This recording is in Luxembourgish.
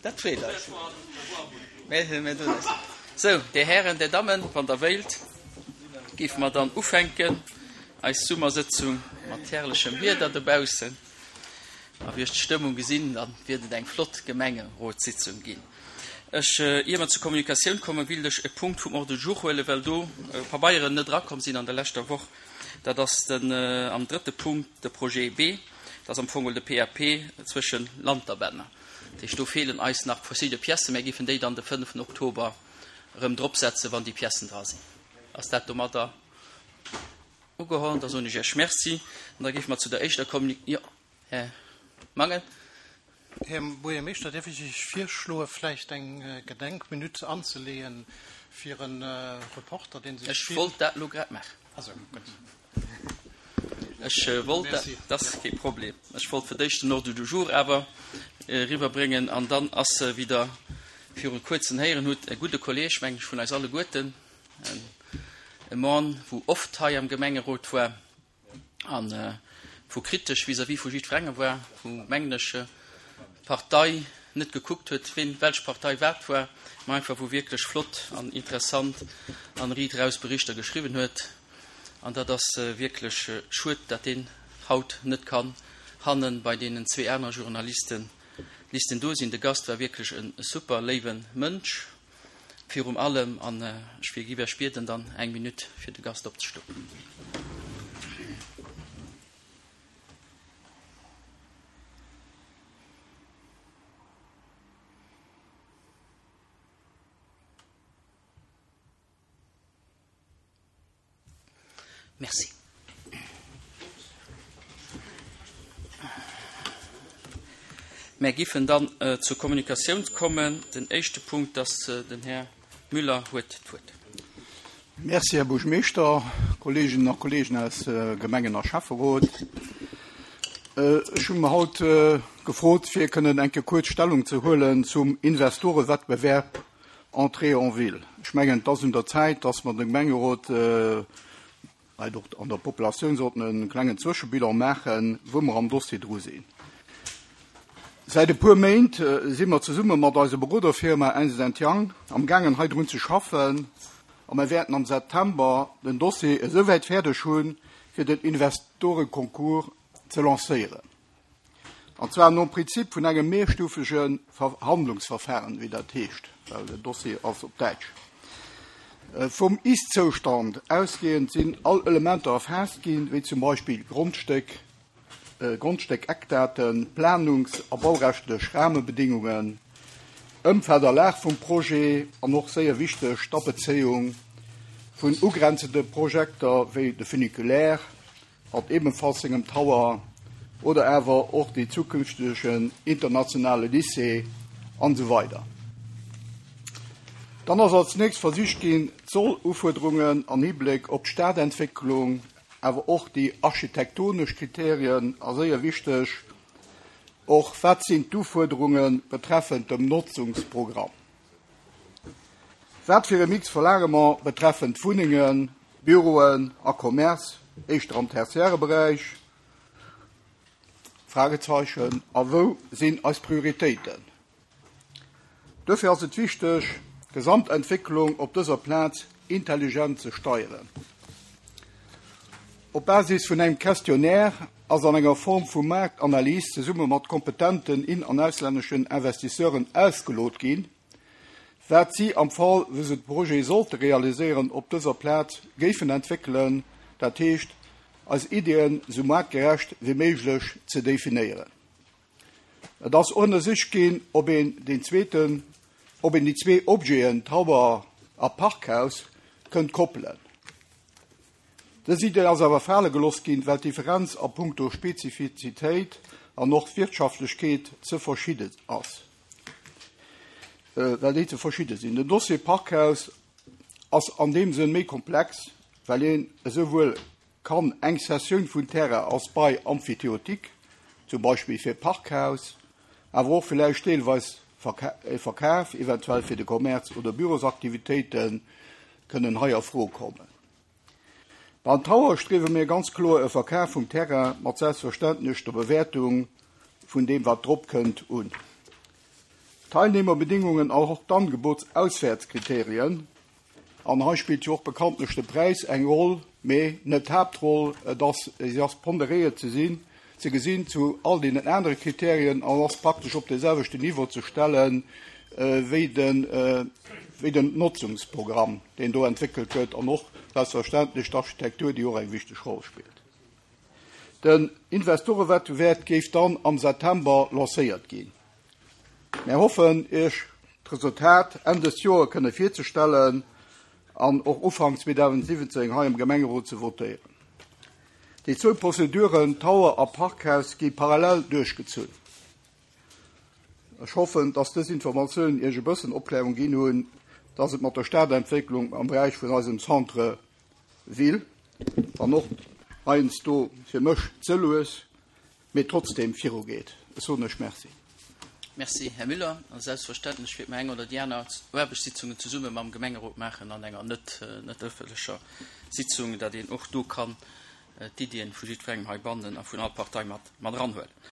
Dat freet eis. Mä do ass. Sou, Dir Hären, Dir Dammen, wann Der wéilt, géife mer dann ufänken, eis Summersëtzung mat herrlechem Wieder dobaussen. A wéi ech d'Stëmmung gesinn, da wäert et eng flott Gemengerotssitzung ginn. Ech, ier mer zur Kommunikatioun kommen, wéilt ech e Punkt vum Ordre du jour huelen, well do Pabeieren net erakomm sinn an der leschter Woch. Dat ass den, am drëtte Punkt, de Projet B. Dat ass am Fong de PAP zwëschen Lanterbänner. Dat heescht, do feelen eis nach verschidde Piècen. Mär géifen déi dann de fënneften Oktober erëm dropsetzen, wann déi Piècen dra sinn. Ass dat domadder ugeholl? Da soen ech Iech Merci. An da géife mer zu der éischter Kommunik-, jo, Här Mangen. Här Buergermeeschter, däerf ech Iech virschloe vläicht eng Gedenkminutt anzeleeën fir e Reporter, dee sech Ech wollt dat elo grad maachen. Ah sou, gutt. Ech wollt dat, dat ass kee Problem. Ech wollt fir d'éischt den Ordre du jour awer eriwwerbréngen an dann ass, wéi Der viru kuerzem héieren hutt, e gudde Kolleeg, meng ech, vun eis alleguerten, e Mann, wou oft hei am Gemengerot war an wou kritesch vis-à-vis vu jiddwerengem war, wou, mengen ech, Partei net gekuckt huet, ween, welch Partei wat war, mä einfach wou wierklech flott an interessant an riit eraus Berichter geschriwwen huet. An dat ass wierklech schued, dat deen haut net kann hannen bei deenen zwee anere Journalisten Listen do sinn. De Gast war wierklech e super léiwe Mënsch virum allem an ech wier giff Iech bieden dann eng Minutt fir de Gast opzestoen. Merci. Mär giffen dann zur Kommunikatioun kommen. Den éischte Punkt ass den Här Müller huet d'Wuert. Merci, Här Buergermeeschter, Kolleeginnen a Kolleegen aus Gemengen a Schäfferot. Ech hu mer haut gefrot, fir kënnen eng Kéier kuerz Stellung ze huelen zum Investorewettbewerb Entrée en ville. Ech mengen, et ass un der Zäit, dass mer dem Gemengerot, vläicht och an der Populatioun sollten e klengen Zwëschebilan maachen, wou mer am Dossier dru sinn. Säit e puer Méint si mer zesumme mat eiser Beroderfirma Ernst Young amgaangen, hei drun ze schaffen a mer wäerten am September den Dossier esouwäit fäerdeg hunn, fir den Investoreconcours ze lancéieren. An zwar nom Prinzip vun engem mehrstufege Verhandlungsverfahren, wéi dat heescht, well den Dossier ass op Däitsch. Vum Ist-Zoustand ausgehend sinn all Elementer erfaasst ginn, wéi zum Beispill Grondstéck, Grondstéckeckdaten, Planungs a baurechtlich Rahmebedingungen, Ëmfeld a Lag vum Projet an och séier wichteg d'Abezéiung vun ugrenzende Projekter wéi de Funiculaire, mat ebenfalls sengem Tower, oder awer och dee zukünftegen internationale Lycée an esou weider. Dann ass als nächst versicht ginn, d'Soll-Ufuerderungen an Hibléck op d'Stadentwécklung, awer och déi architektonesch Kriterien a séier wichteg och, wat sinn d'Ufuerderunge betreffend dem Notzungsprogramm? Wat fir e Mix verlaange mer betreffend Wunnengen, Büroen a Commerce, éischter am tertiäre Beräich? Fragezeichen. A wou sinn eis Prioritéiten? Duerfir ass et wichteg, d'Gesamtentwécklung op dëser Plaz intelligent ze steieren. Op Basis vun engem Questionnaire ass an enger Form vu Maartanalys zesumme mat kompetenten in an auslänneschen Investisseuren ausgelot ginn, wat si am Fall wou se de Projet sollte realiséieren op dëser Plaz géifen entwéckelen, dat heescht eis Iddien esou maartgerecht wéi méiglech ze definéieren. Et ass ënnersicht ginn, ob een deen zweeten, ob een déi zwee Objeten, Tower a Parkhaus, kënnt koppelen. Dës Idee ass awer fale gelooss ginn, well d'Differenz a punkto Spezifizitéit an och Wirtschaftlechkeet ze verschidde ass, well déi ze verschidde sinn. Den Dossier Parkhaus ass an deem Sënn méi komplex, well een esouwuel kann eng Cessioun vun Terrain als Bail emphytéotique, zum Beispill fir Parkhaus, awer och villäicht deelweis e Verkaf, eventuell fir de Commerce oder Bürosaktivitéiten, kënnen hei a Fro kommen. Beim Tower striewe mir ganz kloer e Verkaf vum Terrain mat selbstverständlech der Bewäertung vun deem wat drop kënnt un. D'Teilnehmerbedingungen an och d'Angebotsauswäertskriterien, an hei spillt jo och bekanntlech de Präis eng Roll, mee net d'Haaptroll, et ass, si ass ponderéiert ze sinn, ze gesinn zu all deenen anere Kriterien an ass praktesch op dee selwechten Niveau ze stelle wéi den, wéi den Notzungsprogramm, deen do entwéckelt gëtt, an och selbstverständlech d'Architektur, déi och eng wichteg Roll spillt. Den Investorewettbewerb géif dann am September lancéiert ginn. Mär hoffen, Iech d'Resultat Enn dës Joer kënne virzestellen an och Ufank 2017 hei am Gemengerot ze votéieren. Déi zwou Prozeduren, Tower a Parkhaus, gi parallel duerchgezunn. Ech hoffen, dass dës Informatiounen Iech e bëssen Opklärung ginn hunn, dass et mat der Stadentwécklung am Beräich vun eisem Centre ville, wann och heiansdo fir mech ze lues, mee trotzdem virugeet. Ech soen lech Merci. Merci, Här Müller. A selbstverständlech wäerte mer eng oder déi aner Aarbechtssitzungen zesumme mam Gemengerot maachen an enger net net ëffentlecher Sitzung, datt een och do kann d'Iddien vu jiddwerengem heibannen a vun all Partei mat mat eranhuelen.